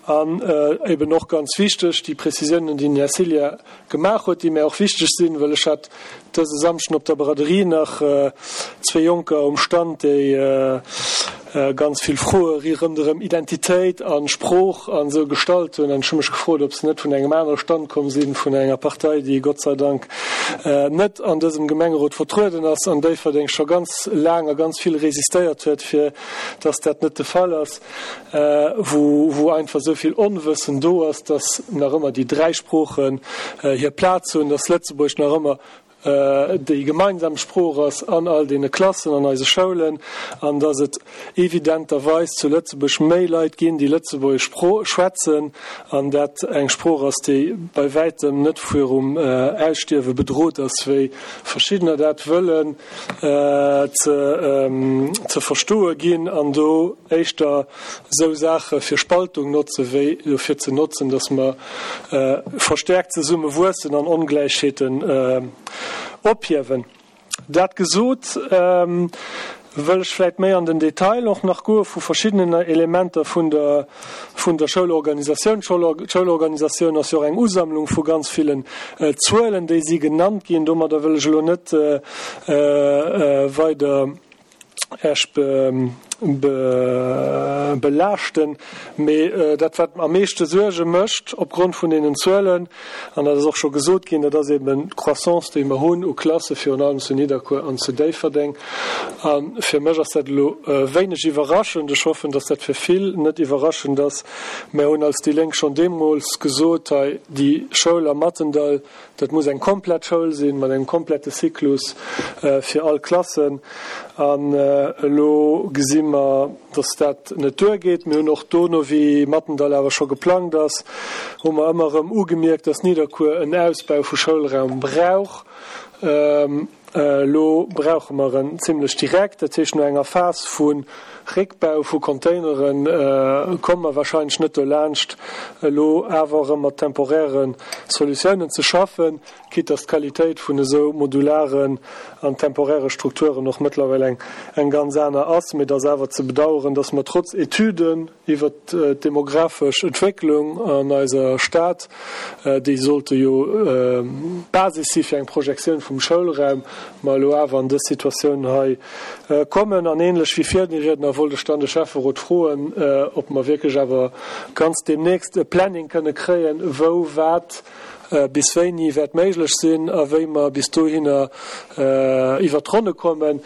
S7: An eben och ganz wichteg, déi Prezisiounen, déi den Här Cillien gemaach huet, déi mär och wichteg sinn, well ech hat dëse Samschden op der Braderie nach zwee Jonker um Stand, déi ganz vill Froe ronderëm Identitéit a Sprooch an esou gestallt hunn. An ech hu mech gefrot, ob se net vun engem anere Stand komm sinn, vun enger Partei, déi Gott sei Dank net an dësem Gemengerot vertrueden ass an Déifferdeng scho ganz laang a ganz vill resistéiert huet, fir dass dat net de Fall ass, wou wou einfach esou vill Onwëssen do ass, dass nach ëmmer déi dräi Sproochen hir Plaz hunn, dass Lëtzebuergesch nach ëmmer déi gemeinsam Sprooch ass an all deene Klassen an eise Schoulen an dass et evidenterweis zu Lëtzebuerg méi Leit ginn, déi Lëtzebuergesch schwätzen an dat eng Sprooch ass, déi bei wäitem net virum Ausstierwe bedrot ass, wéi verschiddener dat wëllen ze verstoe ginn an do éischter esou Saache fir Spaltung notze wéi dofir ze notzen, dass mer verstärkt zesumme wuessen an Ongläichheeten ophiewen. Dat gesot, wëll ech vläicht méi an den Detail och nach goe vu verschiddenen Elementer vun der, vun der Schoulorganisatioun. D'Schoulorganisatioun ass jo och eng Usammlung vu ganz villen Zuelen, déi si genannt ginn. Domadder wëll ech elo net weider Iech belaaschten. Mee dat, wat am meeschte Suerge mécht opgrond vun deenen Zuelen, an dat ass och scho gesot ginn, dat ass eben d'Croissance, déi mer hunn u Klasse, virun allem zu Nidderkuer an zu Déifferdeng. A fir mech ass dat elo wéineg iwwerraschend. Ech hoffen, datt dat fir vill net iwwerraschend ass. Mer hunn als déi Lénk schonn deemools gesot, hei déi Schoul am Mathendall, Dat muss eng komplett Schoul sinn, mat engem komplette Cyclus fir all Klassen. An elo gesi mer, dass dat net duergeet. Mir hunn och dono, wéi Mathendahl awer scho geplangt ass, hu mer ëmmer erëm ugemierkt, dass Nidderkuer en Ausbau vu Schoulraum brauch. Elo brauche mer en zimlech direkt. Dat heescht, no enger Phas vu Réckbau vu Containere komme mer wahrscheinlech net dolaanscht, elo awer erëm mat temporäre Solutiounen ze schaffen, quitte dass d'Qualitéit vun esou modularen an temporäre Strukturen och mëttlerweil eng eng ganz aner ass. Mee et ass awer ze bedauern, dass mer trotz Etüden iwwert d'demografesch Entwécklung an eiser Stad, déi sollte jo d'Basis si fir eng Projektioun vum Schoulraum, mer elo awer an dës Situatioun hei kommen. An ähnlech wéi Virriedner wollt ech dann de Schäfferot froen, ob mer wierklech awer ganz deemnächst e Planning kënne kréien, wou wat bis wéini wäert méiglech sinn a wéi mer bis dohinner iwwert d'Ronne kommen.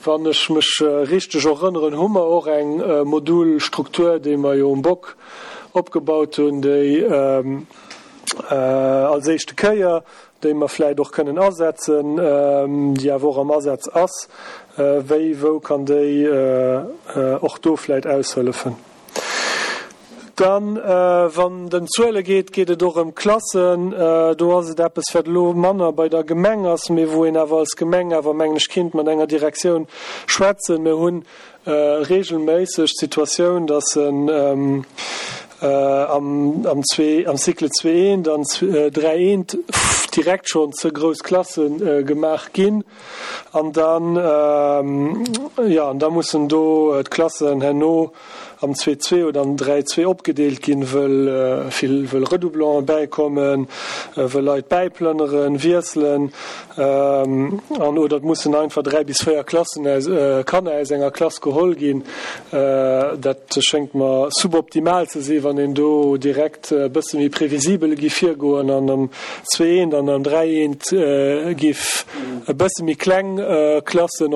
S7: Wann ech mech richteg erënneren, hu mer och eng Modulstruktur, déi mer jo um Bock opgebaut hunn, déi als éischte Kéier, déi mer vläicht och kënnen asetzen, déi awer och am Asaz ass. Wéi, wou kann déi och do vläicht aushëllefen? Dann, wann et ëm Zuele geet, geet et och ëm Klassen. Do ass et eppes, wat elo manner bei der Gemeng ass, mee wou een awer als Gemeng awer, mengen ech, kinnt mat enger Direktioun schwätzen. Mir hu regelméisseg d'Situatioun, dass en am zwee, am Cycle zwee eent an dräi eent direkt schonn ze grouss Klasse gemaach ginn. An dann, jo, an da mussen do d'Klassen herno am zwee zwee oder am dräi zwee opgedeelt ginn, wëll vill, wëll Redoublanten bäikommen, wëll Leit bäiplënneren, wiesselen, an oder et mussen einfach dräi bis véier Klassen aus, Kanner aus enger Klass geholl ginn. Dat schéngt mer suboptimal ze sinn, wann een do direkt e bësse méi previsibel giff virgoen an am zwee eent an am dräi eent giff e bësse méi kleng Klassen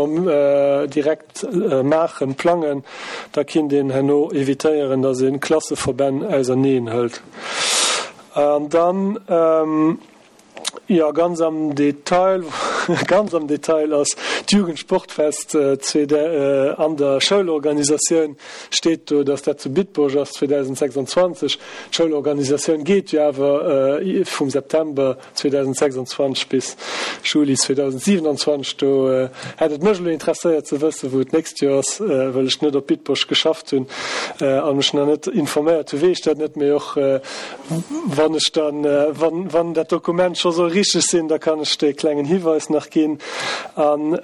S7: direkt maachen, plangen, da kinnt een herno evitéieren, dass ee Klasseverbänn auserneen hëlt. An dann, jo, ganz am Detail, ganz am Detail ass d'Jugendsportfest an der Schoulorganisatioun, steet do, dass dat zu Bitburg ass zweedausendsechsundzwanzeg. D'Schoulorganisatioun geet jo awer vum September zweedausendsechsundzwanzeg bis Juli zweedausendsiewenundzwanzeg. Do hätt et mech elo interesséiert ze wëssen, wou et d'nächst Joer ass, well ech net op Bitburg geschafft hunn a mech nach net informéiert hu weess ech dat net. Mee och wann ech dann, wann, wann dat Dokument scho soll richteg sinn, da kann ech dee klengen Hiweis nach ginn. An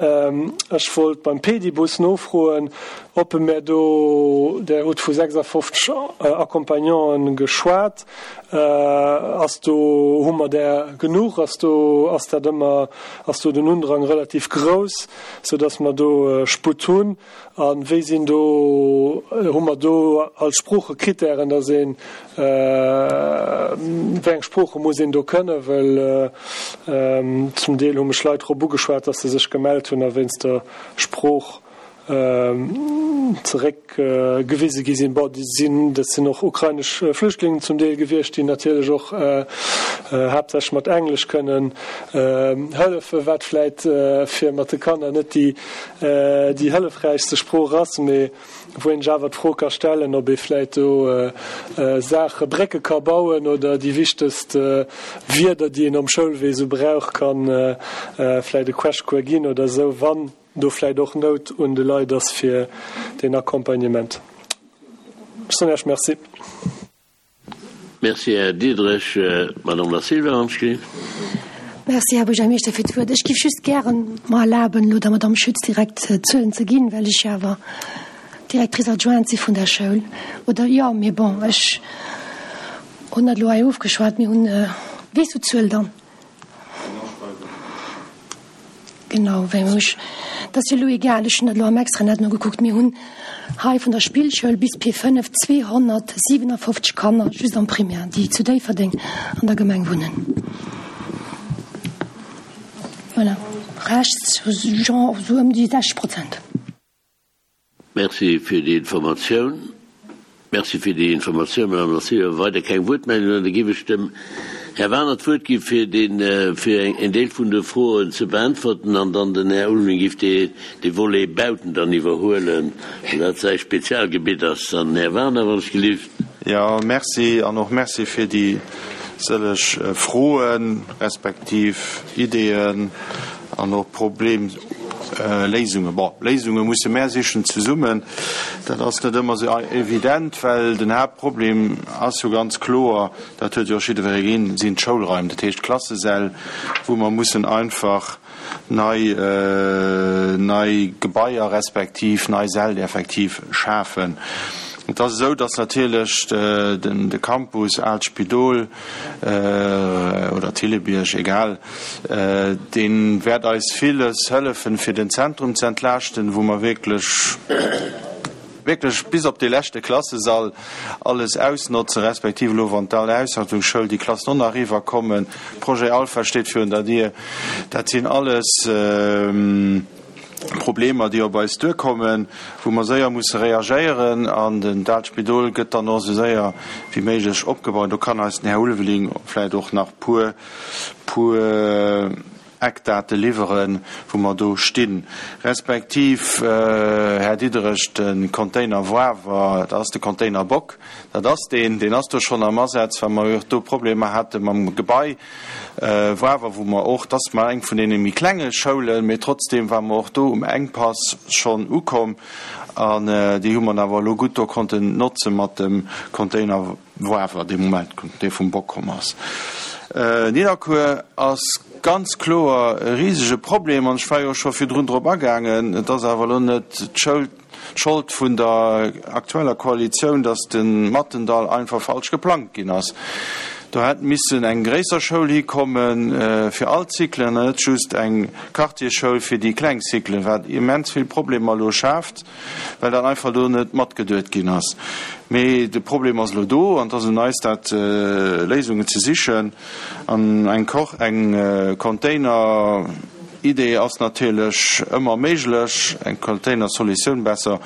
S7: ech wollt beim Pedibus nofroen, ob e mär do, Der hutt vu sechsafofzeg Accompagnanten geschwat, ass do, hu mer där genuch, ass do, ass dat ëmmer, ass do den Undrang relativ grouss, soudass mer do Sputt hunn? A wéi sinn do, hu mer do als Sproochekritären, dass een, wéi eng Sprooche muss een do kënnen? Well zum Deel hu mech Leit drop ugeschwat, dass se sech gemellt hunn a wéinst der Sprooch zeréckgewise gi sinn. Bon, déi sinn, dat sinn och ukrainesch Flüchtlingen zum Deel gewiescht, déi natierlech och haaptsächlech mat Englesch kënnen hëllefen, wat vläit fir mat de Kanner net déi, déi hëllefräichste Sprooch ass, mee wou een sech awer d'Fro ka stellen, ob ee vläit do Saache, Brécke ka bauen oder déi wichtegst Wierder, déi een am Schoulwee esou brauch, ka vläit e Crashcours ginn oder esou, wann do vläit och Nout un de Leit ass fir deen Accompagnement. Ech soen Iech Merci.
S1: Merci, Här Diderich. Madame Da Silva, wann ech gelift.
S8: Merci, Här Buergermeeschter, fir d'Wuert. Ech géif just gären mer erlaben, elo der Madame Schütz direkt d'Zuelen ze ginn, well ech jo awer Directrice adjointe si vun der Schoul. Oder jo, mee bon, ech hunn dat elo hei ofgeschwat. Mir hunn, weess du d'Zuel dann? Genau, wéi ech, dat ass jo elo egal, ech hunn dat elo am Extranet nogekuckt, mir hunn hei vun der Spillschoul bis P fënnef zweehonnertsiwenafofzeg Kanner just am Primaire, déi zu Déifferdeng an der Gemeng wunnen. Voilà, rechts, genre esou ëm déi sechzeg Prozent.
S1: Merci fir déi Informatioun. Merci fir déi Informatioun, Madame Da Silva. Weider keng Wuertmeldungen. Da géif ech dem Här Wagener d'Wuert gi fir den, fir en Deel vun de Froen ze beäntwerten an dann den Här Ulveling géif dee, dee Volet Bauten dann iwwerhuelen, well dat säi Spezialgebitt ass. Dann Här Wagener, wann ech gelift.
S2: Jo, merci an och merci fir déi sëlleg Froen respektiv Ideeën an och Problemléisungen. Bon, Léisunge musse mär sichen zesummen. Dat ass net ëmmer esou evident, well den Haaptproblem ass jo ganz kloer, dat huet jo och jiddweree ginn, sinn d'Schoulraim, dat heescht d'Klassesäll, wou mer mussen einfach nei, nei Gebaier respektiv nei Säll effektiv schafen. Et ass esou, datt natierlech de Campus Aalt Spidol oder Thillebiërg, egal, dee wäert eis villes hëllefen, fir den Zentrum ze entlaaschten, wou mer wierklech, wierklech bis op dee leschte Klassesall alles ausnotzen, respektiv elo wann d'Al Ausstattungsschoul, déi Klassen och nach eriwwerkommen, Projet Alpha steet virun der Dier, dat sinn alles Problemer, déi op eis duerkommen, wou mer séier musse reagéieren. An den dat Spidol gëtt dann och esou séier wéi méiglech opgebaut. Do kann eis den Här Ulveling vläicht och nach puer, puer Eckdate liwweren, wou mer do stinn. Respektiv, Här Diderich, de Container Woawer, dat ass de Container Bock, dat ass deen, deen ass do schonn am Asaz, well mer jo och do Problemer hate mam Gebai Woawer, wou mer och, dat ass mar eng vun deene méi klenge Schoulen, mee trotzdeem ware mer och do um Enkpass schonn ukomm an déi hu mer awer elo gutt do konnten notze mat dem Container Woawer, dee Moment, dee vum Bock komm ass. Nidderkuer ass ganz kloer e risege Problem an ech war jo scho virdrun drop agaangen, et ass awer elo net d'Schould, d'Schold vun der aktueller Koalitioun, datt de Mattendall einfach falsch geplangt ginn ass. Do hätt missen eng gréisser Schoul hikomme fir all d'Cyclen an net just eng Quartiersschoul fir déi kleng Cyclen, wat immens vill Problemer elo schaaft, well dat einfach do net matgeduet ginn ass. Mee de Problem ass elo do an et ass un eis, dat Léisungen ze sichen. An eng eng Container-Idee ass natierlech ëmmer méiglech, eng Container-Solutioun besser,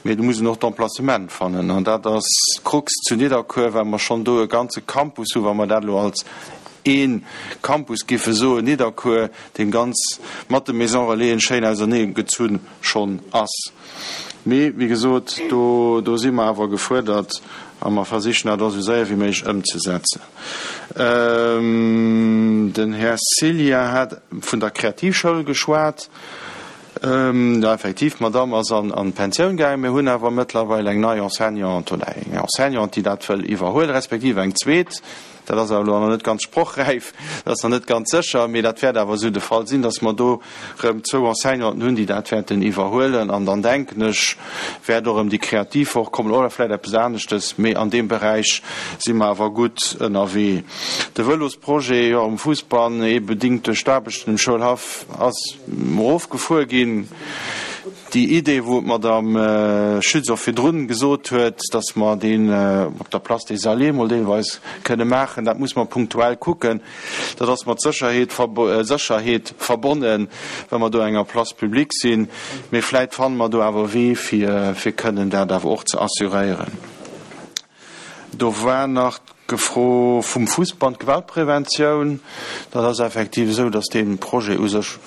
S2: mee do muss een och d'Emplacement fannen. An dat ass d'Krux zu Nidderkuer, well mer schonn do e ganze Campus hu, wa mer dat elo als ee Campus giffe soen, Nidderkuer, dee ganz mat de Maison-relaisen schéin auserneegezunn schonn ass. Mee, wéi gesot, do, do si mer awer gefuerdert a mer versichen dat och esou séier wéi méiglech ëmzesetzen. Den Här Ceglia hat vun der Kreativschoul geschwat. Jo, effektiv, d'Madamm ass an, an d'Pensioun gaangen. Mir hunn awer mëttlerweil eng nei Enseignante oder eng Enseignante, déi dat wëll iwwerhuelen, respektiv eng zweet. Dat ass awer elo nach net ganz sprochräif, dat ass nach net ganz sécher, mee dat wäert awer esou de Fall sinn, dass mer do erëm zwou Enseignanten hunn, déi dat wäerten iwwerhuelen. An dann denken ech, wäert och erëm déi kreativ Woch kommen oder vläicht eppes aneschtes, mee an deem Beräich si mer awer gutt ënnerwee. De Vëlosprojet, jo, um Fuussbann, ee bedingt duerch d'Aarbechten um Schoulhaff, ass erofgefuer ginn. Déi Idee, wou d'Madame Schütz och virdrun gesot huet, dass mer deen op der Place des Alliés mol deelweis kënne maachen, dat muss mer punktuell kucken. Dat ass mat Sécherheet, Sécherheet verbonnen, wa mer do enger Place publique sinn. Mee vläit fanne mer do awer e Wee, fir, fir kënnen dat awer och ze assuréieren. Do war nach d'Fro vum Fussband, Gewaltpreventioun. Dat ass effektiv esou, dass dee Projet u sech,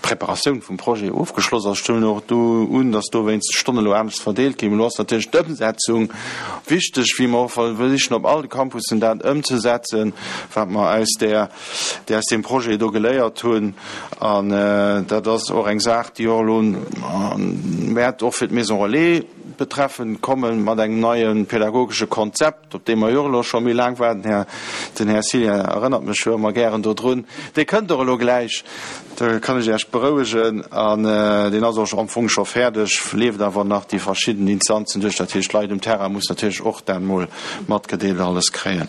S2: d'Preparatioun vum Projet ofgeschloss ass. Ech huelen och do un, dass dowéinst d'Stonnen elo anescht verdeelt ginn. Elo ass natierlech d'Ëmsetzung wichteg, wéi mer och versichen op all de Campussen dat ëmzesetzen, wat mer aus där, aus deem Projet do geléiert hunn. An dat ass och eng Saach, déi och elo wäert och fir d'Maison relais betreffend kommen, mat engem neie pädagogesche Konzept, op dee mer jo och elo scho méi laang waarden. Här, den Här Cillien erënnert mech jo ëmmer gären dodrun. Dee kënnt och elo gläich, do kann ech Iech berouegen. An deen ass och am Fong scho fäerdeg, leeft awer nach déi verschidden Instanzen duerch. Dat heescht, d'Leit um Terrain mussen natierlech och dat emol matgedeelt alles kréien.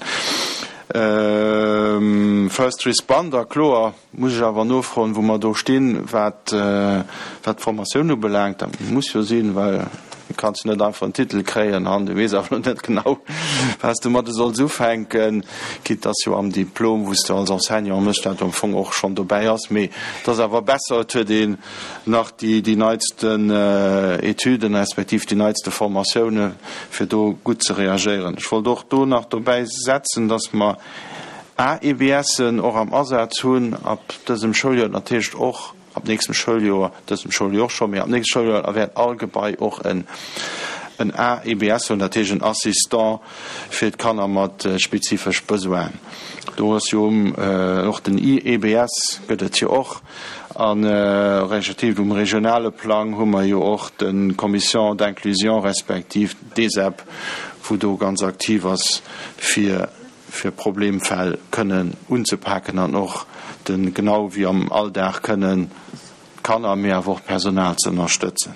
S2: First Responder, kloer, muss ech awer nofroen, wou mer do stinn, wat d'Formatioun ubelaangt. Dat muss jo sinn, well du kanns jo net einfach en Titel kréien an du weess awer net genau, wat s du domadde solls ufänken, quitte dass jo am Diplom, wou s de als Enseignant méchs, dat am Fong och schonn dobäi ass. Mee et ass awer besser, et huet een nach déi neitsten Etüden respektiv déi neitste Formatioune fir do gutt ze reagéieren. Ech wollt och do nach dobäi setzen, dass mer A E B Sen och am Asaz hunn ab dësem Schouljoer, natierlech och ab nächstem Schouljoer, dësem Schouljoer och scho, mee ab nächstem Schouljoer wäert all Gebai och en en A E B S hunn, dat heescht en Assistant fir d'Kanner mat spezifesch Besoinen. Do ass jo och den I E B S gëtt et jo och an respektiv um regionale Plang hu mer jo och de Commission d'inclusion respektiv d'ESEP, wou do ganz aktiv ass fir fir Problemfäll kënnen unzepaken an och de genau wéi am Alldag kënnen d'Kanner, mee awer och d'Personal ze ënnerstëtzen.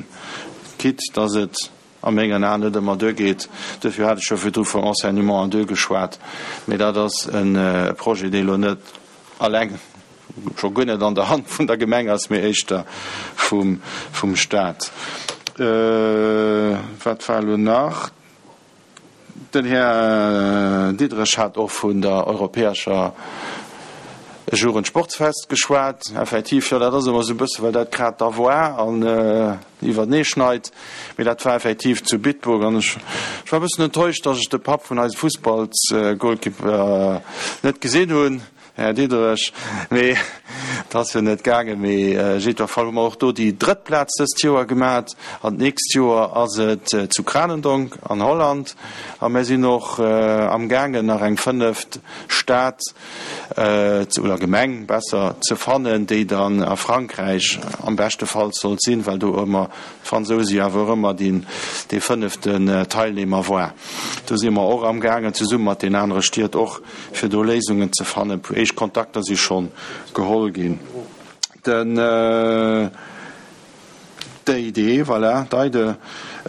S2: Quitte dass et a mengen Aen net ëmmer duergeet, duerfir hat ech jo virdru vun Enseignement en deux geschwat, mee dat ass e Projet, dee elo net alleng, scho guer net an der Hand vun der Gemeng ass, mee éischter vum vum Stat. Wat war elo nach? Den Här Diderich hat och vun der europäescher Jugendsportsfest geschwat. Effektiv, jo, dat ass ëmmer esou e bësse well dat grad da war an iwwertenee schneit. Mee dat war effektiv zu Bitburg an ech war e bëssen enttäuscht, datt ech de Papp vun eisem Fussballsgoalkeeper net gesinn hunn. Här Diderich, mee et ass jo net gaangen. Mee jiddwer Fall hu mer och do déi drëtt Plaz dëst Joer gemat an d'nächst Joer ass et zu Cranendonck an Holland a mir sinn och amgaangen nach eng fënneft Stad oder Gemeng besser ze fannen, déi dann a Frankräich am beschtefalls sollt sinn, well do ëmmer d'Fransouse jo awer och ëmmer dee fënneften Teilnehmer war. Do si mer och amgaangen zesumme mat den anere Stied och fir do Léisungen ze fannen. Éischt Kontakter si schonn geholl ginn. Den d'E I D, voilà, d'EIDE,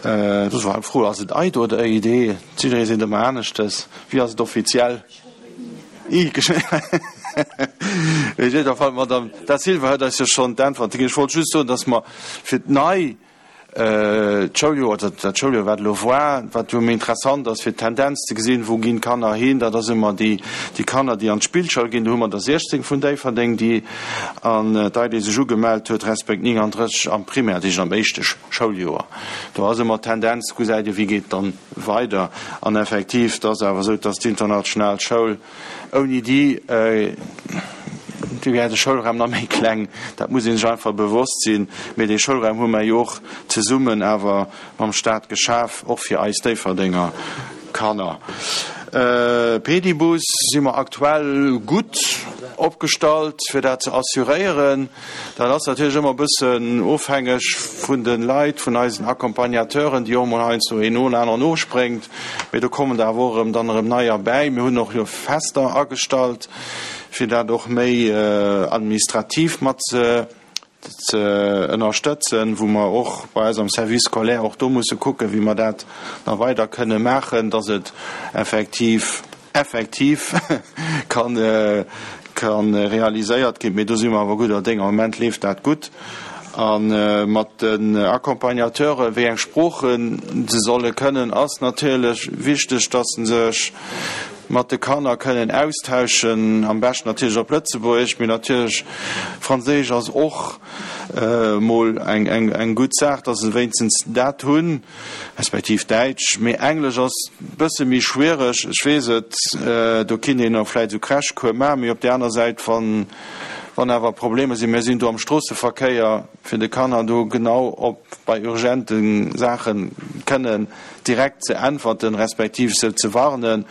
S2: do war eng Fro, ass et EIDE oder E I D? Jidderee seet ëmmer aneschtes. Wéi ass et offiziell? I geschriwwen. Mee op jidder Fall, d'Madame Da Silva huet eis jo schonn d'Äntwerte ginn. Ech wollt just soen, datt mer fir d'nei D'Schouljoer, oder dat Schouljoer wat elo war, wat jo méi interessant ass fir d'Tendenz ze gesinn, wou ginn d'Kanner hin, dat ass ëmmer déi déi Kanner, déi an d'Spillschoul ginn. Do hu mer der siechzéng vun Déifferdeng, déi an d'EIDE sech ugemellt huet, respekt nienganddrësseg am Primaire, dat heescht am éischte Schouljoer. Do ass ëmmer d'Tendenz, gesäit ee wéi geet dann weider. An effektiv, et ass awer esou, dass d'international Schoul ouni déi, Do wär de Schoulraum nach méi kleng, dat muss ee sech einfach bewosst sinn. Mee dee Schoulraum hu mer jo och zesummen awer mam Stat geschaf, och fir eis Déifferdenger Kanner. Pedibus si mer aktuell gutt opgestallt, fir dat ze assuréieren. Dat ass natierlech ëmmer e bëssen ofhängeg vun de Leit, vun eisen Accompagnateuren, déi och emol heiansdo een no aneren ofspréngt. Mee do kommen der awer och erëm dann erëm neier bäi. Mir hunn och jo fester agestallt, fir dat och méi administrativ mat ze ënnerstëtzen, wou mer och bei eis am Service scolaire och do musse kucken, wéi mer dat nach weider kënne maachen, dass et effektiv effektiv kann kann realiséiert ginn. Mee do si mer awer gudder Déng. Am Moment leeft dat gutt. A mat den Accompagnateuren, wéi eng Sproochen se solle kënnen, ass natierlech wichteg, dass se sech mat de Kanner kënnen austauschen, am beschten natierlech op Lëtzebuergesch, mee natierlech Franséisch ass och mol eng gutt Saach, dass se wéinstens dat hunn, respektiv Däitsch. Mee Englesch ass e bësse méi schwiereg, ech weess et, do kinnt een och vläicht esou Crashcours maachen, mee op där aner Säit, wann awer Problemer sinn, mir sinn do am Stroosseverkéier, fir de Kanner do genau op bei urgente Saache kënnen direkt ze äntwerten, respektiv se ze warnen,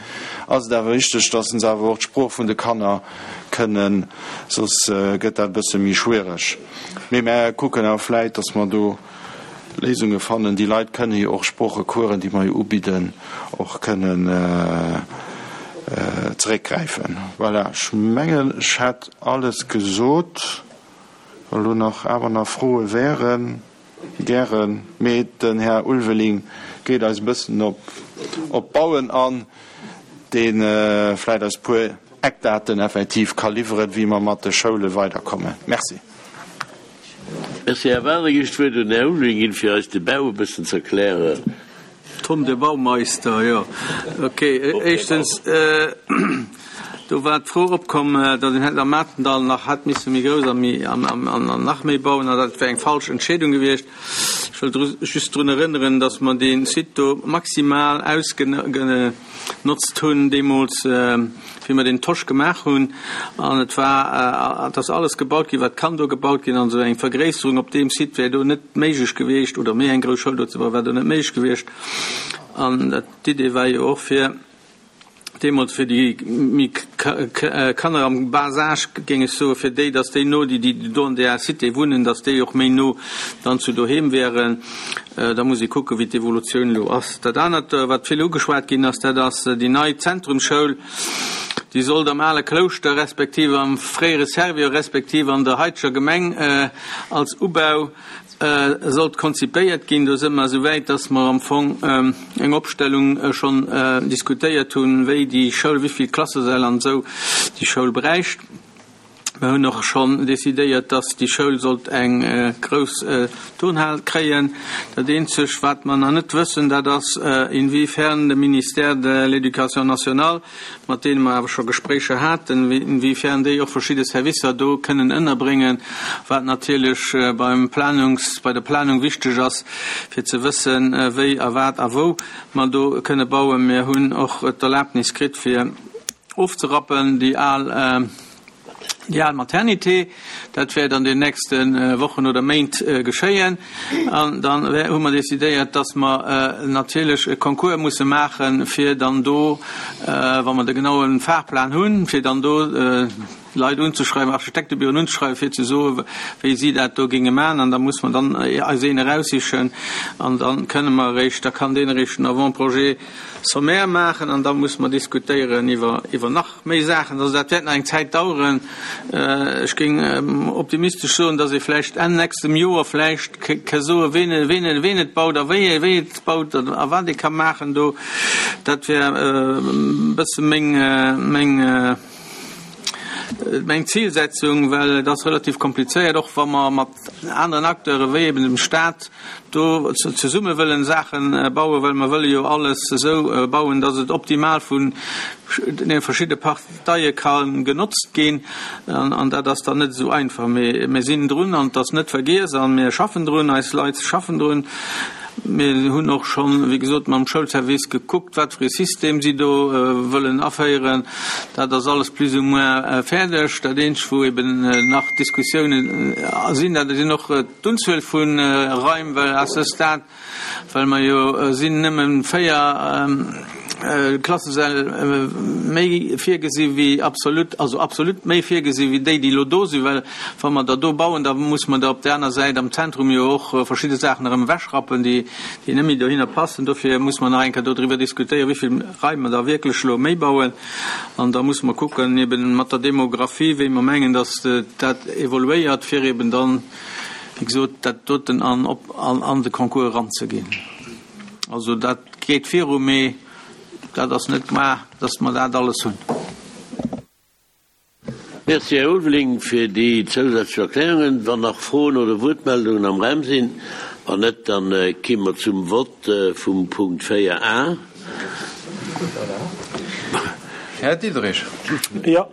S2: ass et awer wichteg, dass se awer och d'Sprooch vun de Kanner kënnen, soss gëtt dat e bësse méi schwiereg. Mee mär kucken awer vläit, dass mer do Léisunge fannen. Déi Leit kënne jo och Sproochecoursen, déi mer jo ubidden, och kënnen zeréckgräifen. Voilà, ech mengen, ech hätt alles gesot. Wa lo nach awer nach Froe wären, gären. Mee den Här Ulveling geet eis e bëssen op op d'Bauen an, dee vläicht eis e puer Eckdaten effektiv ka liwweren, wéi mer mat de Schoule weiderkommen. Merci.
S1: Merci, Här Wagner. Ech d'Wuert un den Här Ulveling ginn, fir eis de Bau e bëssen ze erklären.
S9: Tom de Baumeister, jo. Okay, éischtens, Do war d'Fro opkomm, datt een hätt am Matendall nach hätt misse méi grouss a méi an an nach méi bauen, an dat wär eng falsch Entscheedung gewiescht. Ech wëll dru just drun erënneren, datt mer dee Site do maximal ausgenotzt hunn deemools, wéi mer den Tosch gemaach hunn. An et war, et ass alles gebaut ginn, wat kann do gebaut ginn. An esou eng Vergréisserung op deem Site wär do net méiglech gewiescht, oder méi eng grouss Schoul do ze bauen, wär do net méiglech gewiescht. An d'Idee war jo och fir deemools fir déi méi Kanner am bas âge, géing ech soen, fir déi, dass déi no, déi déi do an där Cité wunnen, dass déi och méi no dann zu doheem wäeren. Da muss ee kucken, wéi d'Evolutioun elo ass. Dat anert, wat vill ugeschwat ginn ass, dat ass déi nei Zentrumsschoul. Déi sollt am ale Klouschter respektiv am fréiere Servior respektiv an der haiteger Gemeng als Ubau sollt konzipéiert ginn. Do si mer esou wäit, dass mer am Fong eng Opstellung schonn diskutéiert hunn, wéi déi Schoul, wéi vill Klassesäll an esou déi Schoul bräicht. Mer hunn och schonn decidéiert, dass déi Schoul sollt eng grouss Turnhal kréien. Dat eenzeg, wat mer nach net wëssen, dat ass, inwiefern de Ministère de l'Éducation nationale, mat deene mer awer scho Gespréicher haten, inwiefern déi och verschidde Servicer do kënnen ënnerbréngen, wat natierlech beim Planungs, bei der Planung wichteg ass, fir ze wëssen, wéi a wat a wou mer do kënne bauen. Mir hunn och d'Erlaabnis kritt, fir ofzerappen déi al, Déi al Maternité, dat wäert an den nächste Wochen oder Méint geschéien. An dann hu mer decidéiert, dass mer natierlech e Concours musse maachen, fir dann do, wa mer de genaue Fahrplan hunn, fir dann do Leit unzeschreiwen, Architektebüroen unzeschreiwen, fir ze soen, wéi si dat do géinge maachen. An da muss mer dann eis een eraussichen an da kënne mer eréischt, da kann deen eréischt en Avant-projet sommaire maachen an da muss mer diskutéieren iwwer, iwwer nach méi Saachen. Also dat wäert nach eng Zäit daueren. Ech géing optimistesch soen, dass ee vläicht Enn nächstem Joer vläicht ka soen, ween, ween, ween et baut a wéi, wéi et baut a wat ee ka maachen do. Dat wär e bësse meng, meng, meng Zilsetzung, well et ass relativ komplizéiert, och wa mer mat aneren Acteure wéi eben dem Stat do zesumme wëllen Saache bauen, well mer wëlle jo alles esou bauen, dass et optimal vun de verschidde Parteie ka genotzt ginn. An dat ass dann net esou einfach. Mee mir sinn drun an et ass net vergiess a mir schaffen drun, eis Leit schaffen drun. Mir hunn och schonn, wéi gesot, mam Schoulservice gekuckt, wat fir e System si do wëllen aféieren. Dat ass alles plus ou moins fäerdeg. Dat eenzegt, wou eben nach Diskussiounen sinn, dat sinn och d'Unzuel vu Raim, well à ce stade, well mer jo sinn nëmme véier Klassesäll méi virgesi wéi absolut, also absolut méi virgesi wéi déi, déi elo do sinn, well wa mer der do bauen, da muss mer der op där aner Säit am Zentrum jo och verschidde Saachen erëm ewechrappen, déi, déi net méi dohinner passen. Dofir muss mer nach eng Kéier dodriwwer diskutéieren, wéi vill Raim mer da wierklech elo méi bauen. An da muss mer kucken, eben mat der Demographie, wéi mer mengen, datt dat evoluéiert, fir eben dann, wéi gesot, dat doten an, op, an, an de Concours eranzeginn. Also dat geet viru, mee dat ass net gemaach, dass mer dat alles hunn.
S1: Merci, Här Ulveling, fir déi zousätzlech Erklärungen. Wann nach Froen oder Wuertmeldungen am Raum sinn? Wann net, da ki mer zum Vott vum Punkt véier a.
S10: Här Diderich.
S7: Jo.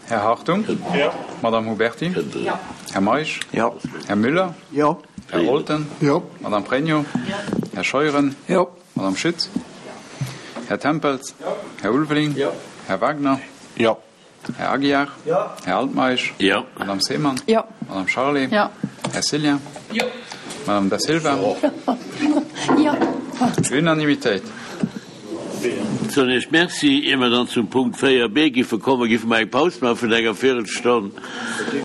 S10: Här Hartung.
S7: Jo.
S10: Madame Huberti.
S6: Jo.
S10: Här Meisch.
S11: Jo.
S10: Här Müller.
S11: Jo.
S10: Här Olten.
S11: Jo.
S10: Madame Pregno.
S6: Jo.
S10: Här Scheuren.
S11: Jo.
S10: Madame Schütz. Här Tempels.
S7: Jo.
S10: Här Ulveling.
S7: Jo.
S10: Här Wagner.
S2: Jo.
S10: Här Aguiar.
S7: Jo.
S10: Här Altmeisch.
S1: Jo.
S10: Madame Seemann.
S5: Jo.
S10: Madame Charlé.
S6: Jo.
S10: Här Cillien.
S7: Jo.
S10: Madame Da Silva.
S8: Jo.
S10: Unanimitéit.
S1: Soen Iech Merci. Ier mer dann zum Punkt véier b giffe kommen, giffe mer eng Paus maache vun enger Véirelstonn.